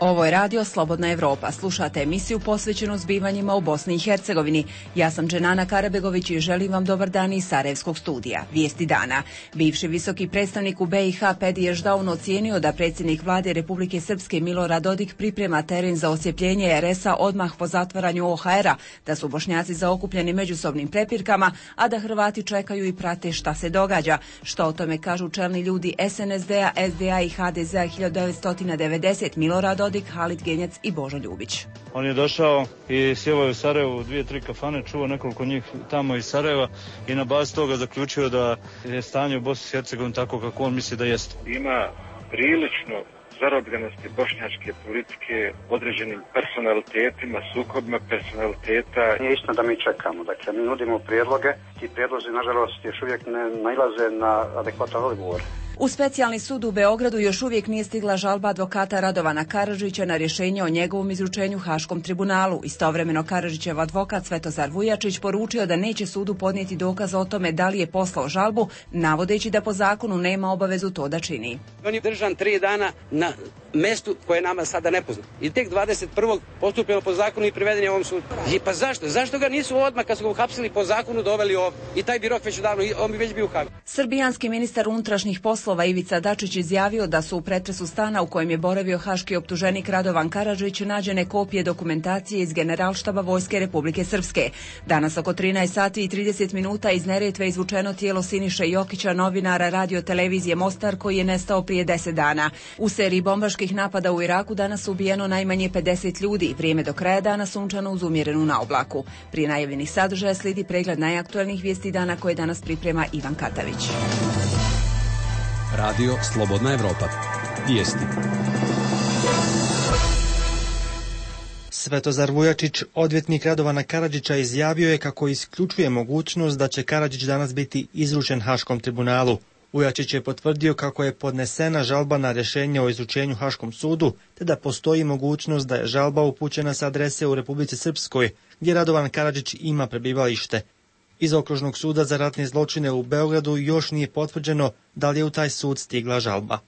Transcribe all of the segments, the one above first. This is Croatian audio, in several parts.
Ovo je radio Slobodna Evropa. Slušate emisiju posvećenu zbivanjima u Bosni i Hercegovini. Ja sam Dženana Karabegović i želim vam dobar dan iz Sarajevskog studija. Vijesti dana. Bivši visoki predstavnik u BiH Pedi Ešdaun ocijenio da predsjednik vlade Republike Srpske Milorad Dodik priprema teren za osjepljenje RS-a odmah po zatvaranju OHR-a, da su Bošnjaci zaokupljeni međusobnim prepirkama, a da Hrvati čekaju i prate šta se događa. Što o tome kažu čelni ljudi SNSD-a, SDA i HDZ-a 1990, Milorad Dodik, Halid Genjac i Božo Ljubić. On je došao i sjevao u Sarajevu 2-3 kafane, čuo nekoliko njih tamo iz Sarajeva i na bazi toga zaključio da je stanje u Bosni i Hercegovini tako kako on misli da jeste. Ima prilično zarobljenosti bošnjačke politike određenim personalitetima, sukobima personaliteta. Nije istina da mi čekamo, dakle mi nudimo prijedloge, ti prijedlozi nažalost još uvijek ne nailaze na adekvatan odgovor. U specijalni sud u Beogradu još uvijek nije stigla žalba advokata Radovana Karadžića na rješenje o njegovom izručenju Haškom tribunalu. Istovremeno Karadžićev advokat Svetozar Vujačić poručio da neće sudu podnijeti dokaz o tome da li je poslao žalbu, navodeći da po zakonu nema obavezu to da čini. On je držan 3 dana na mestu koje je nama sada nepoznato. I tek 21. postupljeno po zakonu i priveden je ovom sudu. I pa zašto? Zašto ga nisu odmah kad su ga uhapsili po zakonu doveli ovdje? I taj bi rok već odavno, on bi već bio uhapšen. Srbijanski ministar unutrašnjih poslova Ivica Dačić izjavio da su u pretresu stana u kojem je boravio haški optuženik Radovan Karadžić nađene kopije dokumentacije iz Generalštaba Vojske Republike Srpske. Danas oko 13 sati i 30 minuta iz Neretve izvučeno tijelo Siniše Jokića, novinara radio televizije Mostar, koji je nestao prije 10 dana. U seriji bombaških napada u Iraku danas ubijeno najmanje 50 ljudi. Vrijeme do kraja dana sunčano uz umjerenu naoblaku. Prije najavljenih sadržaja slijedi pregled najaktualnijih vijesti dana koje danas priprema Ivan Katavić. Radio Slobodna Evropa. Vijesti. Svetozar Vujačić, odvjetnik Radovana Karadžića, izjavio je kako isključuje mogućnost da će Karadžić danas biti izručen Haškom tribunalu. Vujačić je potvrdio kako je podnesena žalba na rješenje o izručenju Haškom sudu, te da postoji mogućnost da je žalba upućena sa adrese u Republici Srpskoj, gdje Radovan Karadžić ima prebivalište. Iz Okružnog suda za ratne zločine u Beogradu još nije potvrđeno da li je u taj sud stigla žalba.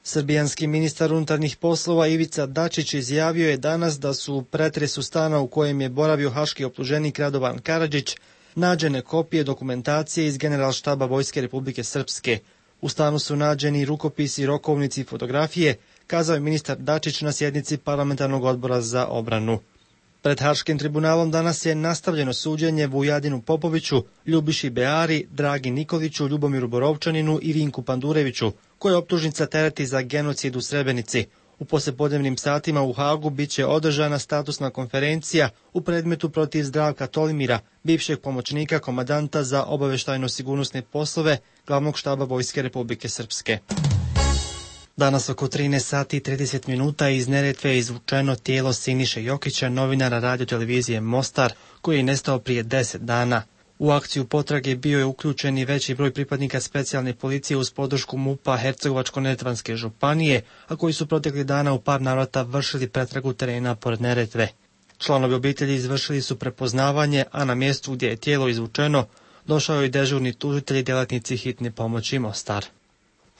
Srbijanski ministar unutarnjih poslova Ivica Dačić izjavio je danas da su u pretresu stana u kojem je boravio haški optuženik Radovan Karadžić nađene kopije dokumentacije iz Generalštaba Vojske Republike Srpske. U stanu su nađeni rukopisi, rokovnici i fotografije, kazao je ministar Dačić na sjednici Parlamentarnog odbora za obranu. Pred Haškim tribunalom danas je nastavljeno suđenje Vujadinu Popoviću, Ljubiši Beari, Dragi Nikoliću, Ljubomiru Borovčaninu i Vinku Pandureviću, koje optužnica tereti za genocid u Srebrenici. U poslijepodnevnim satima u Hagu biće održana statusna konferencija u predmetu protiv Zdravka Tolimira, bivšeg pomoćnika komandanta za obavještajno-sigurnosne poslove Glavnog štaba Vojske Republike Srpske. Danas oko 13 sati i 30 minuta iz Neretve je izvučeno tijelo Siniše Jokića, novinara radio televizije Mostar, koji je nestao prije 10 dana. U akciju potrage bio je uključen i veći broj pripadnika specijalne policije uz podršku MUP-a Hercegovačko-neretvanske županije, a koji su proteklih dana u par navrata vršili pretragu terena pored Neretve. Članovi obitelji izvršili su prepoznavanje, a na mjestu gdje je tijelo izvučeno došao je i dežurni tužitelj i djelatnici hitne pomoći Mostar.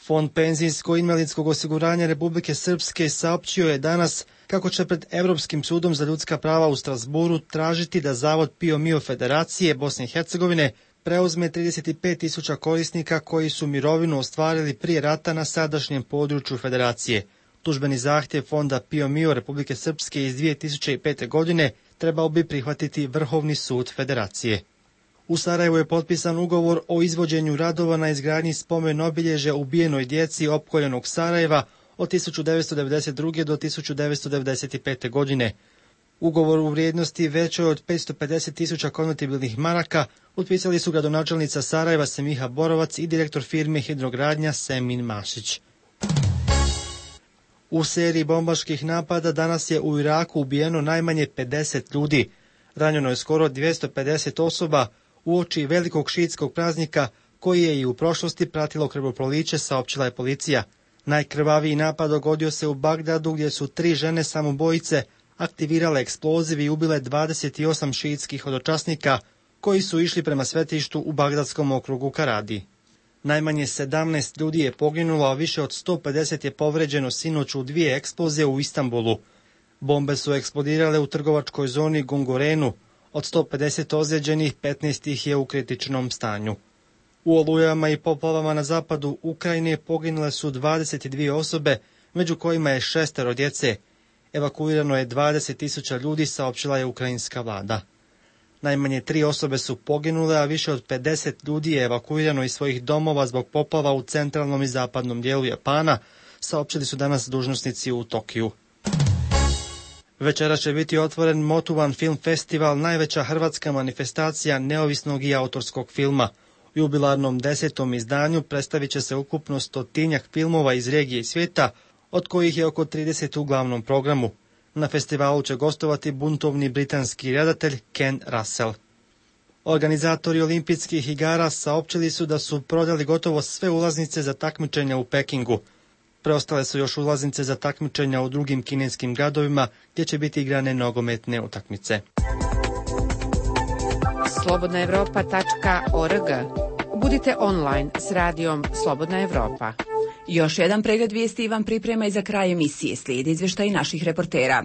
Fond penzijsko-invalidskog osiguranja Republike Srpske saopćio je danas kako će pred Europskim sudom za ljudska prava u Strasburu tražiti da Zavod PIO MIO Federacije Bosne i Hercegovine preuzme 35.000 korisnika koji su mirovinu ostvarili prije rata na sadašnjem području Federacije. Tužbeni zahtjev Fonda PIO MIO Republike Srpske iz 2005. godine trebao bi prihvatiti Vrhovni sud Federacije. U Sarajevu je potpisan ugovor o izvođenju radova na izgradnji spomen obilježja ubijenoj djeci opkoljenog Sarajeva od 1992. do 1995. godine. Ugovor u vrijednosti većoj od 550.000 konvertibilnih maraka potpisali su gradonačelnica Sarajeva Semiha Borovac i direktor firme Hidrogradnja Semin Mašić. U seriji bombaških napada danas je u Iraku ubijeno najmanje 50 ljudi. Ranjeno je skoro 250 osoba uoči velikog šiitskog praznika koji je i u prošlosti pratilo krvoproliće, saopćila je policija. Najkrvaviji napad dogodio se u Bagdadu gdje su 3 žene samoubojice aktivirale eksploziv i ubile 28 šiitskih hodočasnika koji su išli prema svetištu u bagdadskom okrugu Karadi. Najmanje 17 ljudi je poginulo, a više od 150 je povređeno sinoć u 2 eksplozije u Istanbulu. Bombe su eksplodirale u trgovačkoj zoni Gungurenu. Od 150 ozlijeđenih, 15 ih je u kritičnom stanju. U olujama i poplavama na zapadu Ukrajine poginule su 22 osobe, među kojima je 6 djece. Evakuirano je 20.000 ljudi, saopćila je ukrajinska vlada. Najmanje 3 osobe su poginule, a više od 50 ljudi je evakuirano iz svojih domova zbog poplava u centralnom i zapadnom dijelu Japana, saopćili su danas dužnosnici u Tokiju. Večera će biti otvoren Motuvan film festival, najveća hrvatska manifestacija neovisnog i autorskog filma. U jubilarnom 10. izdanju predstavit će se ukupno 100-tinjak filmova iz regije i svijeta, od kojih je oko 30 u glavnom programu. Na festivalu će gostovati buntovni britanski redatelj Ken Russell. Organizatori olimpijskih igara saopćili su da su prodali gotovo sve ulaznice za takmičenja u Pekingu. Preostale su još ulaznice za takmičenja u drugim kineskim gradovima gdje će biti igrane nogometne utakmice. slobodnaevropa.org. Budite online s radijom Slobodna Evropa. Još jedan pregled vijesti vam priprema i za kraj emisije. Slijedi izvještaj naših reportera.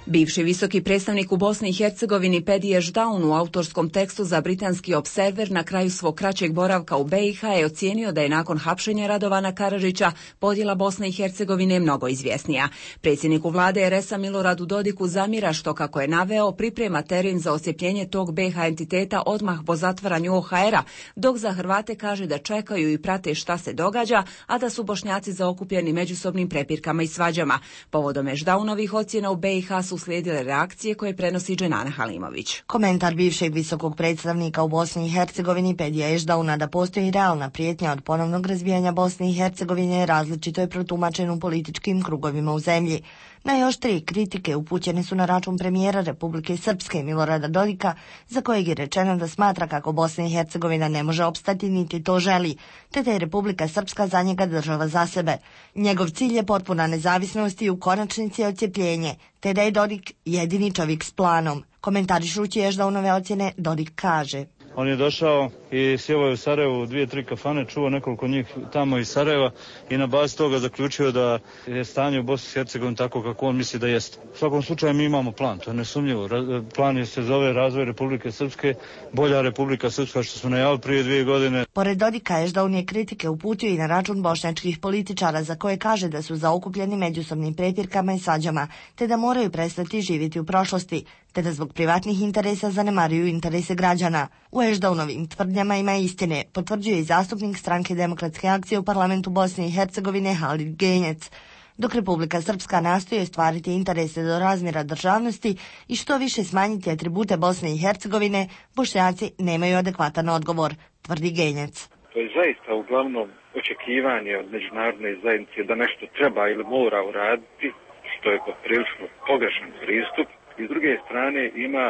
Bivši visoki predstavnik u Bosni i Hercegovini Pedi Ešdaun u autorskom tekstu za britanski Observer na kraju svog kraćeg boravka u BiH je ocijenio da je nakon hapšenja Radovana Karadžića podjela Bosne i Hercegovine mnogo izvjesnija. Predsjedniku vlade RS-a Miloradu Dodiku zamjera što, kako je naveo, priprema teren za osjepljenje tog BiH entiteta odmah po zatvaranju OHR-a, dok za Hrvate kaže da čekaju i prate šta se događa, a da su Bošnjaci zaokupljeni međusobnim prepirkama i svađama. Povodom Ešdaunovih ocjena u BiH su slijedile reakcije koje prenosi Dženana Halimović. Komentar bivšeg visokog predstavnika u Bosni i Hercegovini Pedija Ešdauna da postoji realna prijetnja od ponovnog razbijanja Bosne i Hercegovine različito je protumačen u političkim krugovima u zemlji. Najoštrije kritike upućene su na račun premijera Republike Srpske Milorada Dodika, za kojeg je rečeno da smatra kako Bosna i Hercegovina ne može opstati niti to želi, te da je Republika Srpska za njega država za sebe. Njegov cilj je potpuna nezavisnost i u konačnici odcjepljenje, te da je Dodik jedini čovjek s planom. Komentarišući Ešdaunove ocjene, Dodik kaže: On je došao i sjevao u Sarajevu u 2-3 kafane, čuo nekoliko njih tamo iz Sarajeva i na bazi toga zaključio da je stanje u Bosni i Hercegovini tako kako on misli da jeste. U svakom slučaju mi imamo plan, to je nesumnjivo. Plan se zove razvoj Republike Srpske, bolja Republika Srpska što smo najavili prije 2 godine. Pored Dodika, Ešdaun je kritike uputio i na račun bošnjačkih političara, za koje kaže da su zaokupljeni međusobnim prepirkama i svađama, te da moraju prestati živjeti u prošlosti, te da zbog privatnih interesa zanemaruju interese građana. U Ešdaunovim tvrdnjama ima istine, potvrđuje i zastupnik Stranke demokratske akcije u parlamentu Bosne i Hercegovine Halid Genjec. Dok Republika Srpska nastoji ostvariti interese do razmjera državnosti i što više smanjiti atribute Bosne i Hercegovine, Bošnjaci nemaju adekvatan odgovor, tvrdi Genjec. To je zaista uglavnom očekivanje od međunarodne zajednice da nešto treba ili mora uraditi, što je poprilično pogrešan pristup. I s druge strane ima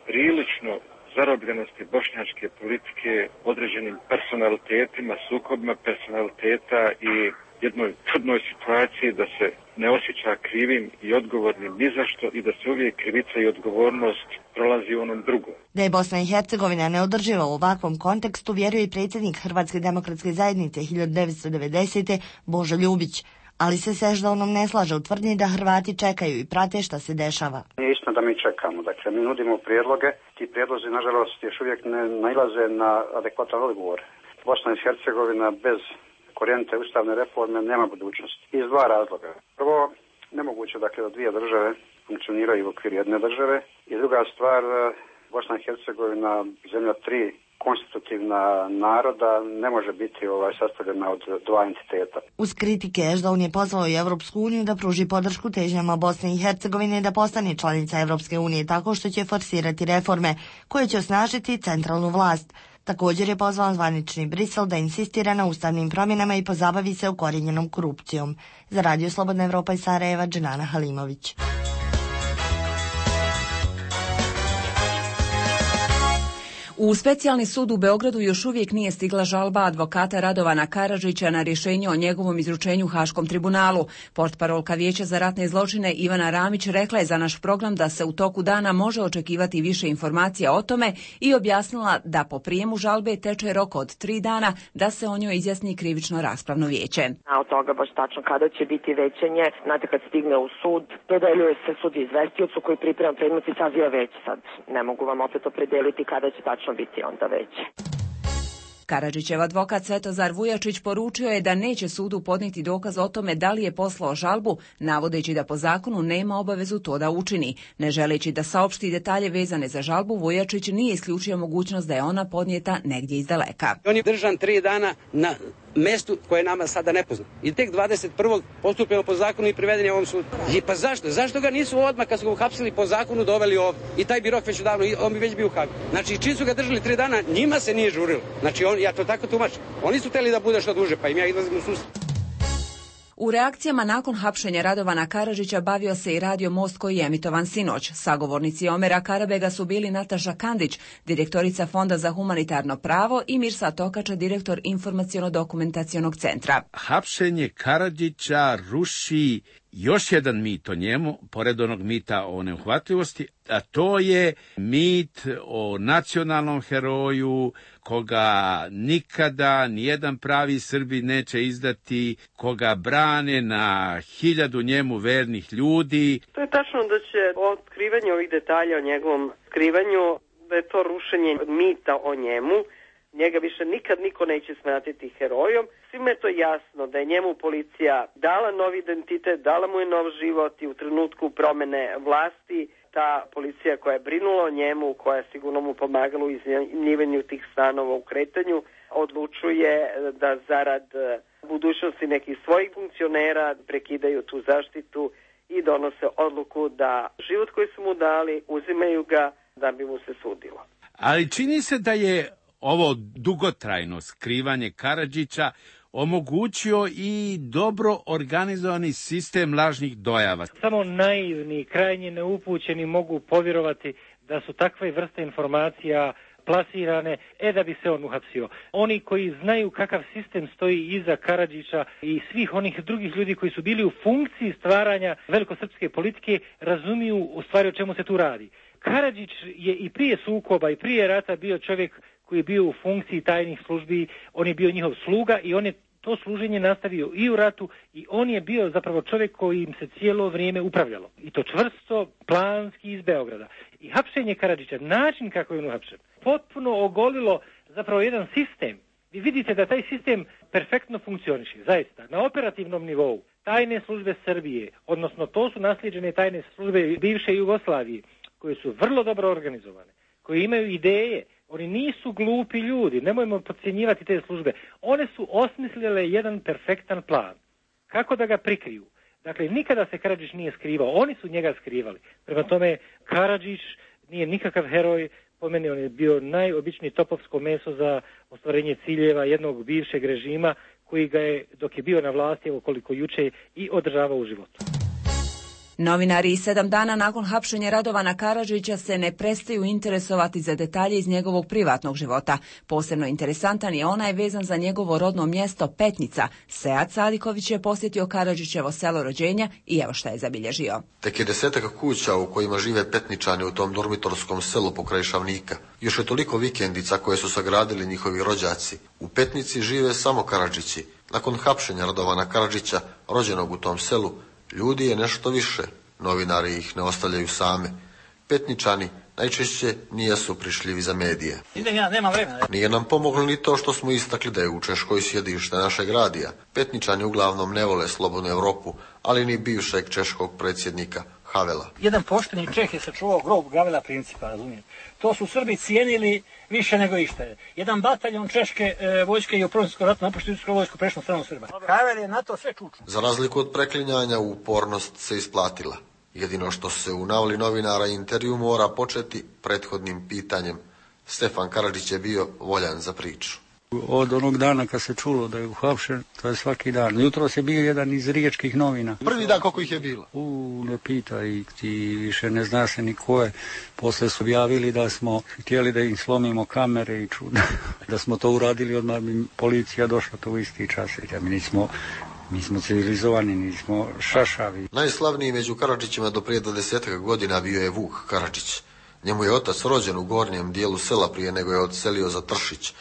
prilično zarobljenosti bošnjačke politike određenim personalitetima, sukobima personaliteta i jednoj čudnoj situaciji da se ne osjeća krivim i odgovornim ni za što i da se uvijek krivica i odgovornost prolazi u onom drugom. Da je Bosna i Hercegovina neodrživa u ovakvom kontekstu vjeruje i predsjednik Hrvatske demokratske zajednice 1990. Božo Ljubić. Ali se s Ešdaunom ne slaže u tvrdnji da Hrvati čekaju i prate šta se dešava. Nije istina da mi čekamo. Dakle, mi nudimo prijedloge. Ti prijedlozi, nažalost, još uvijek ne nailaze na adekvatan odgovor. Bosna i Hercegovina bez korijenite ustavne reforme nema budućnosti. Iz 2 razloga. Prvo, nemoguće dakle da 2 države funkcioniraju u okviru jedne države. I druga stvar, Bosna i Hercegovina, zemlja 3 konstitutivna naroda, ne može biti sastavljena od 2 entiteta. Uz kritike Ešdaun je pozvao i Evropsku uniju da pruži podršku težnjama Bosne i Hercegovine da postane članica Evropske unije tako što će forsirati reforme koje će osnažiti centralnu vlast. Također je pozvao zvanični Brisel da insistira na ustavnim promjenama i pozabavi se ukorijenjenom korupcijom. Za Radio Slobodna Evropa iz Sarajeva, Dženana Halimović. U specijalni sud u Beogradu još uvijek nije stigla žalba advokata Radovana Karadžića na rješenje o njegovom izručenju Haškom tribunalu. Portparolka Vijeća za ratne zločine Ivana Ramić rekla je za naš program da se u toku dana može očekivati više informacija o tome i objasnila da po prijemu žalbe teče rok od 3 dana da se o njoj izjasni krivično raspravno vijeće. A od toga baš tačno kada će biti većanje, znate kad stigne u sud, dodeljuje se sud izvestiocu koji priprema predmet i saziva veće. Sad ne mogu vam opet opredeliti kada će tačno biti onda veće. Karadžićev advokat Svetozar Vujačić poručio je da neće sudu podnijeti dokaz o tome da li je poslao žalbu, navodeći da po zakonu nema obavezu to da učini. Ne želeći da saopšti detalje vezane za žalbu, Vujačić nije isključio mogućnost da je ona podnijeta negdje iz daleka. On je držan 3 dana na mestu koje je nama sada nepoznato. I tek 21. postupilo po zakonu i priveden je ovom sudu. I pa zašto? Zašto ga nisu odmah kad su ga uhapsili po zakonu doveli ovdje? I taj bi rok već odavno, on bi već bio u Hagu. Znači, čim su ga držali 3 dana, njima se nije žurilo. Znači, ja to tako tumačim. Oni su htjeli da bude što duže, pa im ja izlazim u susret. U reakcijama nakon hapšenja Radovana Karadžića bavio se i radio Most koji je emitovan sinoć. Sagovornici Omera Karabega su bili Nataša Kandić, direktorica Fonda za humanitarno pravo, i Mirsa Tokača, direktor Informaciono-dokumentacionog centra. Hapšenje Karadžića ruši još jedan mit o njemu, pored onog mita o neuhvatljivosti, a to je mit o nacionalnom heroju, koga nikada nijedan pravi Srbi neće izdati, koga brane na 1000 njemu vernih ljudi. To je tačno da će otkrivanje ovih detalja o njegovom skrivanju, da je to rušenje mita o njemu. Njega više nikad niko neće smatrati herojom. Svima je to jasno da je njemu policija dala novi identitet, dala mu je nov život i u trenutku promene vlasti ta policija koja je brinula o njemu, koja je sigurno mu pomagala u iznajmljivanju tih stanova u kretanju, odlučuje da zarad budućnosti nekih svojih funkcionera prekidaju tu zaštitu i donose odluku da život koji su mu dali uzimaju ga da bi mu se sudilo. Ali čini se da je ovo dugotrajno skrivanje Karadžića omogućio i dobro organizovani sistem lažnih dojava. Samo naivni, krajnje neupućeni mogu povjerovati da su takve vrste informacija plasirane, da bi se on uhapsio. Oni koji znaju kakav sistem stoji iza Karadžića i svih onih drugih ljudi koji su bili u funkciji stvaranja velikosrpske politike, razumiju u stvari o čemu se tu radi. Karadžić je i prije sukoba i prije rata bio čovjek koji je bio u funkciji tajnih službi, on je bio njihov sluga i on je to služenje nastavio i u ratu i on je bio zapravo čovjek koji im se cijelo vrijeme upravljalo. I to čvrsto, planski iz Beograda. I hapšenje Karadžića, način kako je on uhapšen, potpuno ogolilo zapravo jedan sistem. Vi vidite da taj sistem perfektno funkcioniše, zaista, na operativnom nivou. Tajne službe Srbije, odnosno to su naslijeđene tajne službe bivše Jugoslavije, koje su vrlo dobro organizovane, koje imaju ideje. Oni nisu glupi ljudi, nemojmo podcjenjivati te službe. One su osmislile jedan perfektan plan. Kako da ga prikriju? Dakle, nikada se Karadžić nije skrivao, oni su njega skrivali. Prema tome, Karadžić nije nikakav heroj, po meni on je bio najobičnije topovsko meso za ostvarenje ciljeva jednog bivšeg režima koji ga je, dok je bio na vlasti, evo koliko juče, i održavao u životu. Novinari 7 dana nakon hapšenja Radovana Karadžića se ne prestaju interesovati za detalje iz njegovog privatnog života. Posebno interesantan je onaj vezan za njegovo rodno mjesto Petnica. Sead Sadiković je posjetio Karadžićevo selo rođenja i evo šta je zabilježio. Tek je 10 kuća u kojima žive Petničani u tom dormitorskom selu pokraj Šavnika. Još je toliko vikendica koje su sagradili njihovi rođaci. U Petnici žive samo Karadžići. Nakon hapšenja Radovana Karadžića, rođenog u tom selu, ljudi je nešto više, novinari ih ne ostavljaju same. Petničani najčešće nijesu prišljivi za medije. Nije nam pomoglo ni to što smo istakli da je u Češkoj sjedište našeg radija. Petničani uglavnom ne vole slobodnu Europu, ali ni bivšeg češkog predsjednika Havela. Jedan pošteni Čeh je sačuvao grob Gavela Principa, razumijete. To su Srbi cijenili više nego išta. Jedan bataljon češke vojske je u Prvom svjetskom ratu napuštio srpsku vojsku, prešao na stranu Srba. Havel je na to sve čučio. Za razliku od preklinjanja, upornost se isplatila. Jedino što se u navoli novinara intervju mora početi prethodnim pitanjem. Stefan Karadžić je bio voljan za priču. Od onog dana kad se čulo da je uhapšen, to je svaki dan. Jutros je bio jedan iz riječkih novina. Prvi dan koliko ih je bilo? Ne pitaj, ti više ne zna se ni ko je. Posle su objavili da smo htjeli da im slomimo kamere i čuda. Da smo to uradili, odmah bi policija došla to u isti čas. Mi smo civilizovani, nismo šašavi. Najslavniji među Karadžićima do prije 20 godina bio je Vuk Karadžić. Njemu je otac rođen u gornjem dijelu sela prije nego je odselio za Tršić.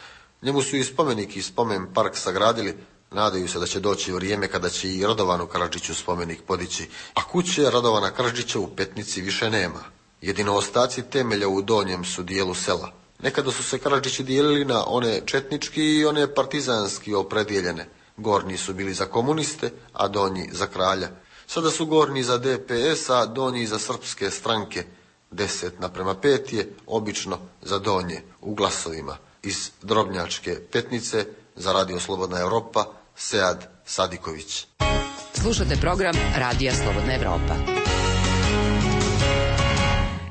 Njemu su i spomenik i spomen park sagradili. Nadaju se da će doći vrijeme kada će i Radovanu Karadžiću spomenik podići. A kuće Radovana Karadžića u Petnici više nema. Jedino ostaci temelja u donjem su dijelu sela. Nekada su se Karadžići dijelili na one četnički i one partizanski opredijeljene. Gornji su bili za komuniste, a donji za kralja. Sada su gornji za DPS, a donji za srpske stranke. 10:5 je obično za donje u glasovima. Iz Drobnjačke Petnice za Radio Slobodna Evropa, Sead Sadiković. Slušate program Radija Slobodna Evropa.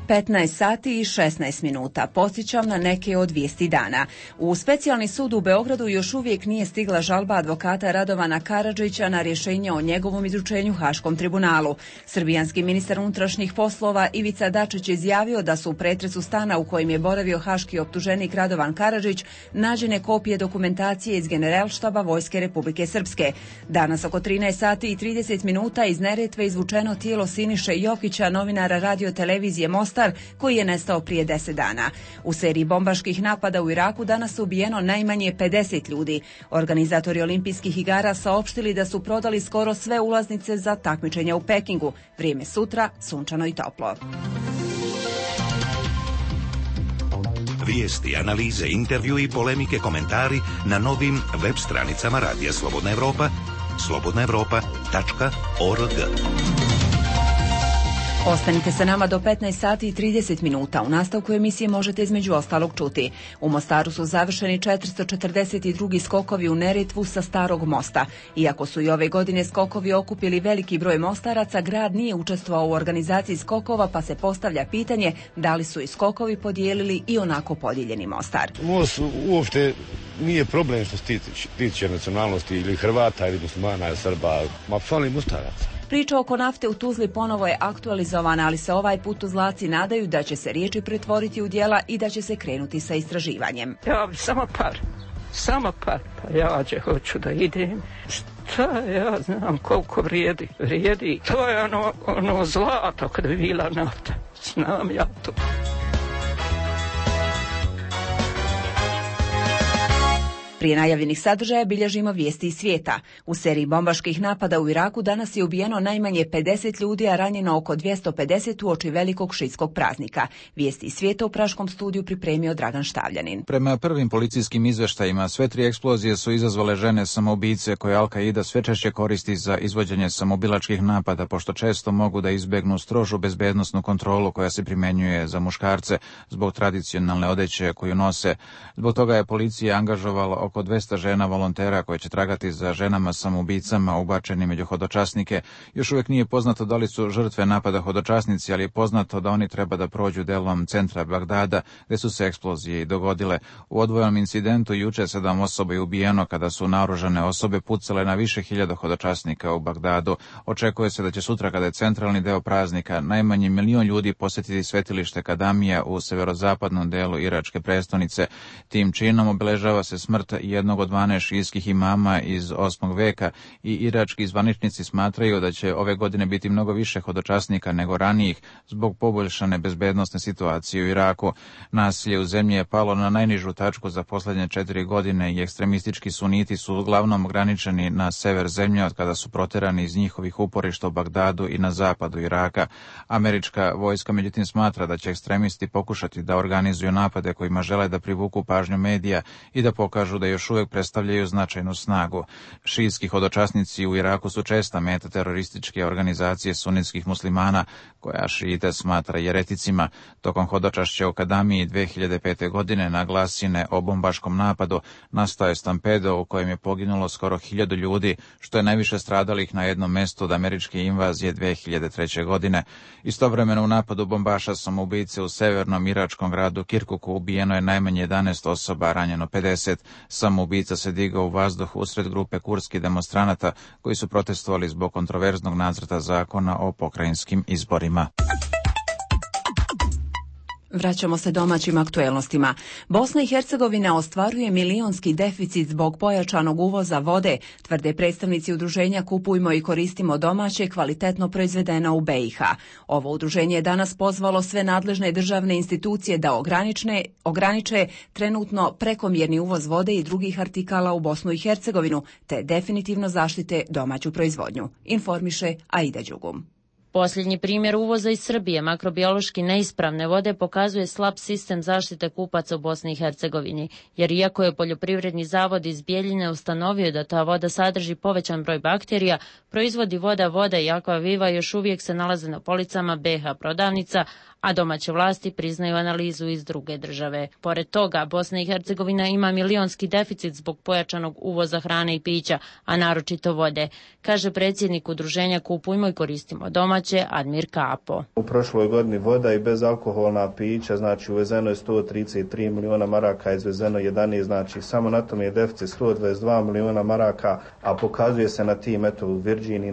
15 sati i 16 minuta. Podsjećam na neke od vijesti dana. U Specijalni sud u Beogradu još uvijek nije stigla žalba advokata Radovana Karadžića na rješenje o njegovom izručenju Haškom tribunalu. Srbijanski ministar unutrašnjih poslova Ivica Dačić izjavio da su u pretresu stana u kojem je boravio haški optuženik Radovan Karadžić nađene kopije dokumentacije iz Generalštaba Vojske Republike Srpske. Danas oko 13 sati i 30 minuta iz Neretve izvučeno tijelo Siniše Jokića, novinara radio televizije Mostar, koji je nestao prije 10 dana. U seriji bombaških napada u Iraku danas je ubijeno najmanje 50 ljudi. Organizatori olimpijskih igara saopštili da su prodali skoro sve ulaznice za takmičenja u Pekingu. Vrijeme sutra, sunčano i toplo. Vijesti, analize, intervju i polemike, komentari na novim web stranicama Radija Slobodna Evropa, slobodnaevropa.org. Ostanite sa nama do 15 sati i 30 minuta. U nastavku emisije možete između ostalog čuti. U Mostaru su završeni 442 skokovi u Neretvu sa Starog mosta. Iako su i ove godine skokovi okupili veliki broj mostaraca, grad nije učestvovao u organizaciji skokova, pa se postavlja pitanje da li su i skokovi podijelili i onako podijeljeni Mostar. Most uopšte nije problem što se tiče nacionalnosti ili Hrvata ili muslimana ili Srba, ma fali Mostaraca. Priča oko nafte u Tuzli ponovo je aktualizovana, ali se ovaj put Tuzlaci nadaju da će se riječi pretvoriti u djela i da će se krenuti sa istraživanjem. Ja samo par, pa ja hoću da idem. Šta ja znam koliko vrijedi. To je ono zlato kad bi bila nafta. Znam ja to. Prije najavljenih sadržaja bilježimo vijesti iz svijeta. U seriji bombaških napada u Iraku danas je ubijeno najmanje 50 ljudi, a ranjeno oko 250 uoči velikog šiitskog praznika. Vijesti iz svijeta u Praškom studiju pripremio Dragan Štavljanin. Prema prvim policijskim izveštajima, sve 3 eksplozije su izazvale žene samoubice koje Al-Qaida sve češće koristi za izvođenje samoubilačkih napada, pošto često mogu da izbegnu strožu bezbednosnu kontrolu koja se primjenjuje za muškarce zbog tradicionalne odeće koju nose. Zbog toga je policija angažovala oko 200 žena volontera koje će tragati za ženama samoubicama ubačeni među hodočasnike. Još uvijek nije poznato da li su žrtve napada hodočasnici, ali je poznato da oni treba da prođu delom centra Bagdada, gdje su se eksplozije i dogodile. U odvojenom incidentu juče 7 osoba je ubijeno kada su naoružane osobe pucale na više hiljada hodočasnika u Bagdadu. Očekuje se da će sutra, kada je centralni deo praznika, najmanje 1 milion ljudi posjetiti svetilište Kadamija u severozapadnom delu iračke prestonice. Tim činom obeležava se smrt jednog od 12 šijskih imama iz 8. veka i irački zvaničnici smatraju da će ove godine biti mnogo više hodočasnika nego ranijih zbog poboljšane bezbednosne situacije u Iraku. Nasilje u zemlji je palo na najnižu tačku za posljednje 4 godine i ekstremistički suniti su uglavnom ograničeni na sever zemlje od kada su proterani iz njihovih uporišta u Bagdadu i na zapadu Iraka. Američka vojska međutim smatra da će ekstremisti pokušati da organizuju napade kojima žele da privuku pažnju medija i da pokažu da još uvijek predstavljaju značajnu snagu. Šijski hodočasnici u Iraku su česta meta terorističke organizacije sunitskih muslimana, koja šijite smatra jereticima. Tokom hodočašća u Kadamiji 2005. godine na glasine o bombaškom napadu nastao je stampedo u kojem je poginulo skoro 1000 ljudi, što je najviše stradalih na jednom mjestu od američke invazije 2003. godine. Istovremeno u napadu bombaša samoubice u severnom iračkom gradu Kirkuku ubijeno je najmanje 11 osoba, ranjeno 50. Samoubica se digao u vazduh usred grupe kurdskih demonstranata koji su protestovali zbog kontroverznog nacrta zakona o pokrajinskim izborima. Vraćamo se domaćim aktuelnostima. Bosna i Hercegovina ostvaruje milionski deficit zbog pojačanog uvoza vode, tvrde predstavnici udruženja Kupujmo i koristimo domaće, kvalitetno proizvedeno u BiH. Ovo udruženje je danas pozvalo sve nadležne državne institucije da ograniče trenutno prekomjerni uvoz vode i drugih artikala u Bosnu i Hercegovinu, te definitivno zaštite domaću proizvodnju, informiše Aida Đugum. Posljednji primjer uvoza iz Srbije makrobiološki neispravne vode pokazuje slab sistem zaštite kupaca u Bosni i Hercegovini, jer iako je Poljoprivredni zavod iz Bjeljine ustanovio da ta voda sadrži povećan broj bakterija, proizvodi voda i Aquaviva još uvijek se nalaze na policama BiH prodavnica, a domaće vlasti priznaju analizu iz druge države. Pored toga, Bosna i Hercegovina ima milionski deficit zbog pojačanog uvoza hrane i pića, a naročito vode, kaže predsjednik udruženja Kupujmo i koristimo domaće Admir Kapo. U prošloj godini voda i bezalkoholna pića, znači uvezeno je 133 miliona maraka, izvezeno 11, znači samo na tom je deficit 122 miliona maraka, a pokazuje se na tim, eto u Virginiji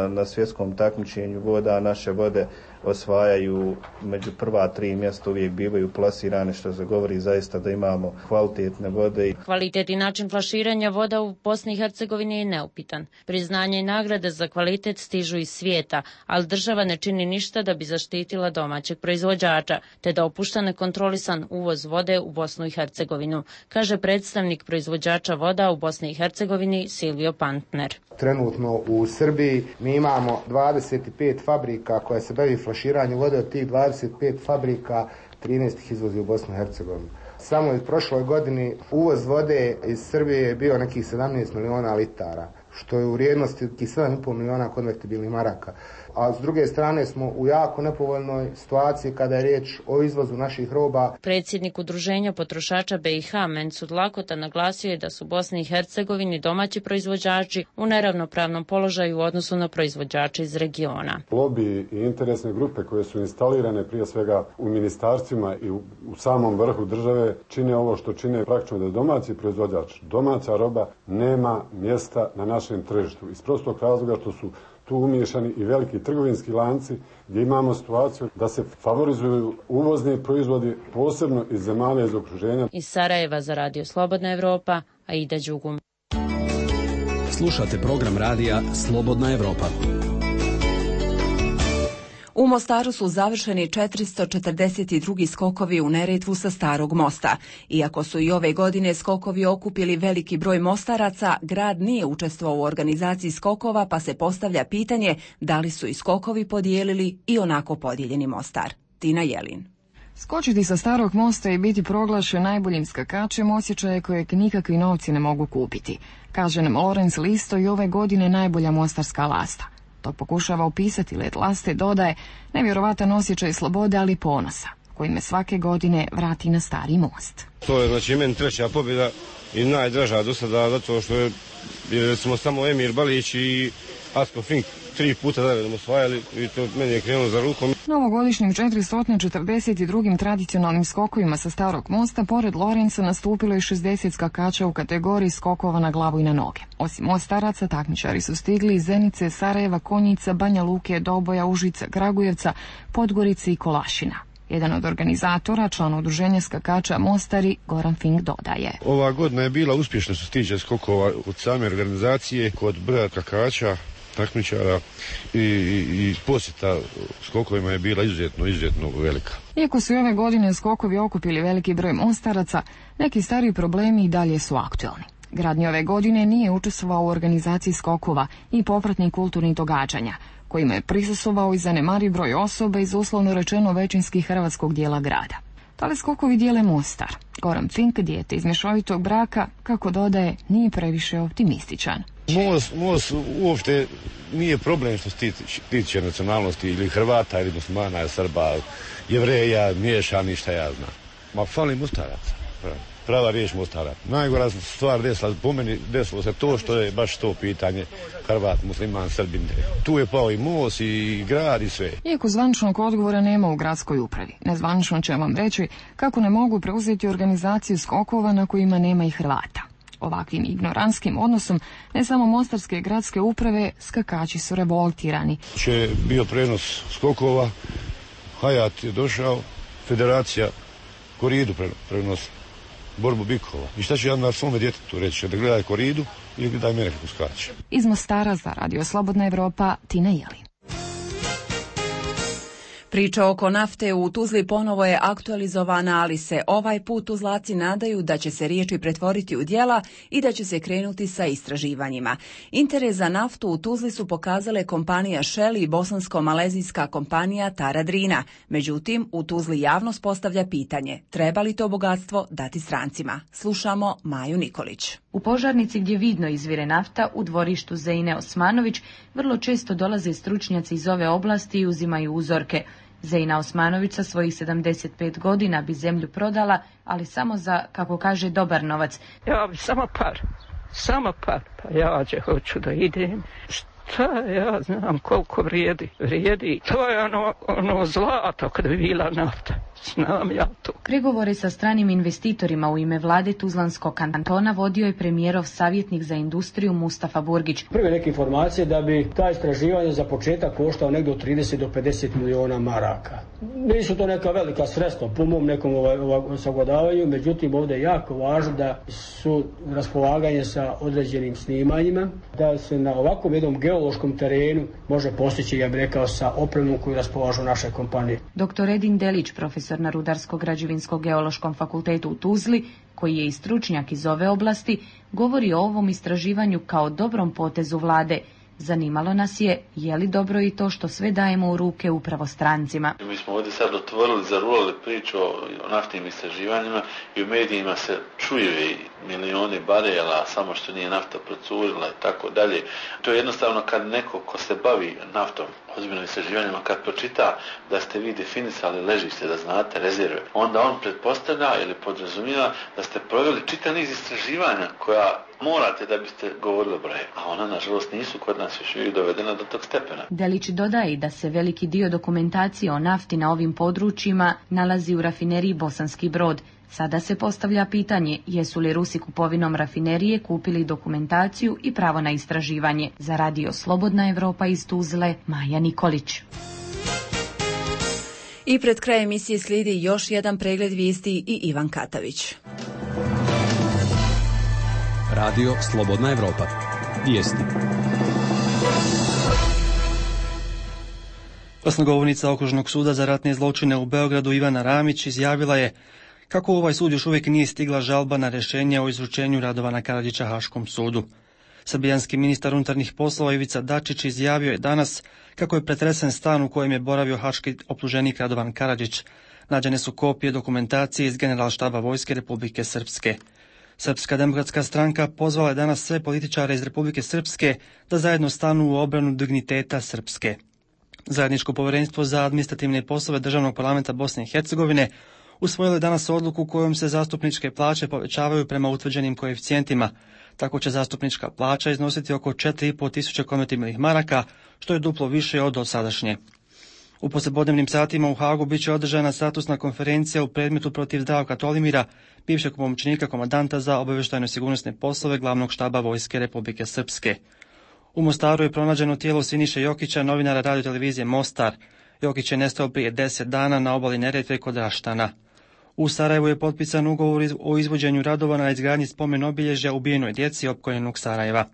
na svjetskom takmičenju voda, naše vode osvajaju među prva 3 mjesta, uvijek bivaju plasirane, što se govori zaista da imamo kvalitetne vode. Kvalitet i način flaširanja voda u Bosni i Hercegovini je neupitan. Priznanje i nagrade za kvalitet stižu iz svijeta, ali država ne čini ništa da bi zaštitila domaćeg proizvođača, te da opušta nekontrolisan uvoz vode u Bosnu i Hercegovinu, kaže predstavnik proizvođača voda u Bosni i Hercegovini Silvio Pantner. Trenutno u Srbiji mi imamo 25 fabrika koje se bavi flaširanjem vode. Od tih 25 fabrika 13 ih izvozi u Bosnu i Hercegovinu. Samo u prošloj godini uvoz vode iz Srbije je bio nekih 17 miliona litara, što je u vrijednosti 7,5 miliona konvertibilnih maraka. A s druge strane smo u jako nepovoljnoj situaciji kada je riječ o izvozu naših roba. Predsjednik udruženja potrošača BiH Mensud Lakota naglasio je da su Bosni i Hercegovini domaći proizvođači u neravnopravnom položaju u odnosu na proizvođače iz regiona. Lobi i interesne grupe koje su instalirane prije svega u ministarstvima i u samom vrhu države čine ovo što čine, praktično da domaći proizvođač, domaća roba nema mjesta na našem tržištu. Iz prostog razloga što su tu umiješani i veliki trgovinski lanci gdje imamo situaciju da se favorizuju uvozni proizvodi, posebno iz zemalja iz okruženja. Iz Sarajeva za Radio Slobodna Evropa, Aida Đugum. Slušate program radija Slobodna Evropa. U Mostaru su završeni 442. skokovi u Neretvu sa Starog mosta. Iako su i ove godine skokovi okupili veliki broj mostaraca, grad nije učestvovao u organizaciji skokova, pa se postavlja pitanje da li su i skokovi podijelili i onako podijeljeni Mostar. Tina Jelin. Skočiti sa Starog mosta i biti proglašen najboljim skakačem osjećaje kojeg nikakvi novci ne mogu kupiti. Kaže nam Lorenz Listo i ove godine najbolja mostarska lasta. To pokušava opisati let laste, dodaje nevjerovatan osjećaj slobode, ali ponosa, koji me svake godine vrati na Stari most. To je znači meni treća pobjeda i najdraža do sada, zato što je recimo samo Emir Balić i Asko Fink 3 puta zaredom osvajali i to meni je krenulo za rukom. Novogodišnjim 442. tradicionalnim skokovima sa Starog mosta pored Lorenca nastupilo je 60 skakača u kategoriji skokova na glavu i na noge. Osim Mostaraca, takmičari su stigli iz Zenice, Sarajeva, Konjica, Banja Luke, Doboja, Užica, Kragujevca, Podgorice i Kolašina. Jedan od organizatora, član udruženja skakača Mostari, Goran Fink, dodaje. Ova godina je bila uspješna što se tiče skokova od same organizacije, kod broja skakača, takmičara i posjeta skokovima je bila izuzetno velika. Iako su ove godine skokovi okupili veliki broj Mostaraca, neki stari problemi i dalje su aktualni. Grad ni ove godine nije učestvovao u organizaciji skokova i popratnih kulturnih događanja, kojima je prisustvovao i zanemariv broj osoba iz uslovno rečeno većinski hrvatskog dijela grada. Ali skokovi dijele Mostar. Goran Fink, dijete iz mješovitog braka, kako dodaje, nije previše optimističan. Most uopšte nije problem što se tiče nacionalnosti ili Hrvata ili Muslimana, Srba, Jevreja, miješani, šta ja znam. Ma fali Mostaraca. Prava riječ Mostara. Najgora stvar desila, po meni desilo se to što je baš to pitanje Hrvat, Musliman, Srbin. Tu je pao i most i grad i sve. Iako zvaničnog odgovora nema u gradskoj upravi, nezvanično će vam reći kako ne mogu preuzeti organizaciju skokova na kojima nema i Hrvata. Ovakvim ignorantskim odnosom ne samo mostarske gradske uprave, skakači su revoltirani. Bio prenos skokova, Hayat je došao, federacija koridu prenosila, borbu bikova. I šta ću ja na svome djetetu reći, da gledaj koridu ili gledaj mene kako skače. Iz Mostara za Radio Slobodna Evropa, Tina Jelin. Priča oko nafte u Tuzli ponovo je aktualizovana, ali se ovaj put Tuzlaci nadaju da će se riječi pretvoriti u djela i da će se krenuti sa istraživanjima. Interes za naftu u Tuzli su pokazale kompanija Shell i bosansko-malezijska kompanija Tara Drina. Međutim, u Tuzli javnost postavlja pitanje, treba li to bogatstvo dati strancima? Slušamo Maju Nikolić. U Požarnici gdje vidno izvire nafta, u dvorištu Zeine Osmanović, vrlo često dolaze stručnjaci iz ove oblasti i uzimaju uzorke. Zeina Osmanović sa svojih 75 godina bi zemlju prodala, ali samo za, kako kaže, dobar novac. Ja bi samo par, pa ja hoću da idem. Šta ja znam koliko vrijedi. To je ono zlato kad bi bila nafta. Znam ja to. Pregovore sa stranim investitorima u ime vlade Tuzlanskog kantona vodio je premijerov savjetnik za industriju Mustafa Burgić. Prve neke informacije da bi ta istraživanje za početak koštao negdje od 30 do 50 miliona maraka. Nisu to neka velika sredstva po mom nekom sagledavanju, međutim ovdje je jako važno da su raspolaganje sa određenim snimanjima, da se na ovakvom jednom geološkom terenu može postići, ja bih rekao, sa opremom koju raspolažu naše kompanije. Dr. Edin Delić, profesor na Rudarsko-građevinskom fakultetu u Tuzli, koji je i stručnjak iz ove oblasti, govori o ovom istraživanju kao dobrom potezu vlade. Zanimalo nas je li dobro i to što sve dajemo u ruke upravo strancima. Mi smo ovdje sad otvorili, zarulali priču o naftnim istraživanjima i u medijima se čuju i milioni barela, samo što nije nafta procurila i tako dalje. To je jednostavno kad neko ko se bavi naftom, ozbiljnim istraživanjima, kad pročita da ste vi definisali ležište, da znate rezerve, onda on pretpostavlja ili podrazumijeva da ste proveli čitav niz istraživanja koja morate da biste govorili o broje, a ona nažalost nisu kod nas još uvijek dovedena do tog stepena. Delić dodaje da se veliki dio dokumentacije o nafti na ovim područjima nalazi u rafineriji Bosanski Brod. Sada se postavlja pitanje jesu li Rusi kupovinom rafinerije kupili dokumentaciju i pravo na istraživanje. Za Radio Slobodna Evropa iz Tuzle, Maja Nikolić. I pred kraj emisije slijedi još jedan pregled vijesti i Ivan Katavić. Radio Slobodna Evropa. Vijesti. Glasnogovornica Okružnog suda za ratne zločine u Beogradu Ivana Ramić izjavila je kako u ovaj sud još uvijek nije stigla žalba na rješenje o izručenju Radovana Karadžića Haškom sudu. Srbijanski ministar unutarnjih poslova Ivica Dačić izjavio je danas kako je pretresen stan u kojem je boravio haški optuženik Radovan Karadžić. Nađene su kopije dokumentacije iz Generalštaba Vojske Republike Srpske. Srpska demokratska stranka pozvala je danas sve političare iz Republike Srpske da zajedno stanu u obranu digniteta Srpske. Zajedničko povjerenstvo za administrativne poslove Državnog parlamenta Bosne i Hercegovine usvojilo je danas odluku kojom se zastupničke plaće povećavaju prema utvrđenim koeficijentima. Tako će zastupnička plaća iznositi oko 4.500 konvertibilnih maraka, što je duplo više od dosadašnje. U poslijepodnevnim satima u Hagu bit će održana statusna konferencija u predmetu protiv Zdravka Tolimira, bivšeg pomoćnika komandanta za obavještajno-sigurnosne poslove Glavnog štaba Vojske Republike Srpske. U Mostaru je pronađeno tijelo Siniše Jokića, novinara radiotelevizije Mostar. Jokić je nestao prije 10 dana na obali Neretve kod Raštana. U Sarajevu je potpisan ugovor o izvođenju radova na izgradnji spomen obilježja ubijenoj djeci opkoljenog Sarajeva.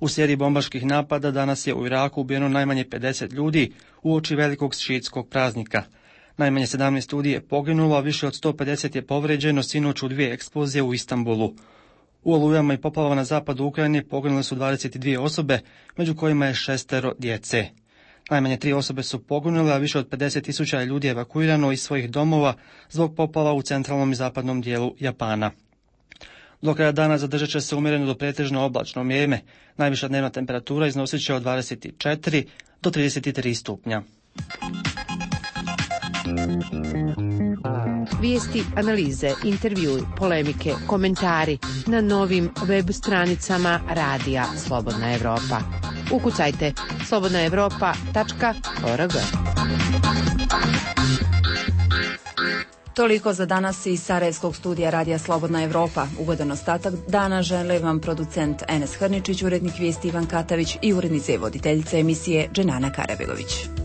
U seriji bombaških napada danas je u Iraku ubijeno najmanje 50 ljudi uoči velikog šiitskog praznika. Najmanje 17 ljudi je poginulo, a više od 150 je povređeno sinoć u 2 eksplozije u Istanbulu. U olujama i poplavama na zapadu Ukrajine poginule su 22 osobe, među kojima je 6 djece. Najmanje 3 osobe su poginule, a više od 50.000 ljudi je evakuirano iz svojih domova zbog poplava u centralnom i zapadnom dijelu Japana. Do kraja dana zadržat će se umjereno do pretežno oblačno vrijeme. Najviša dnevna temperatura iznosit će od 24 do 33 stupnja. Vijesti, analize, intervjui, polemike, komentari na novim web stranicama Radija Slobodna Evropa. Ukucajte slobodnaevropa.org. Toliko za danas iz Sarajevskog studija Radija Slobodna Evropa. Ugodan ostatak dana žele vam producent Enes Hrničić, urednik vijesti Ivan Katavić i urednica i voditeljica emisije Dženana Karabegović.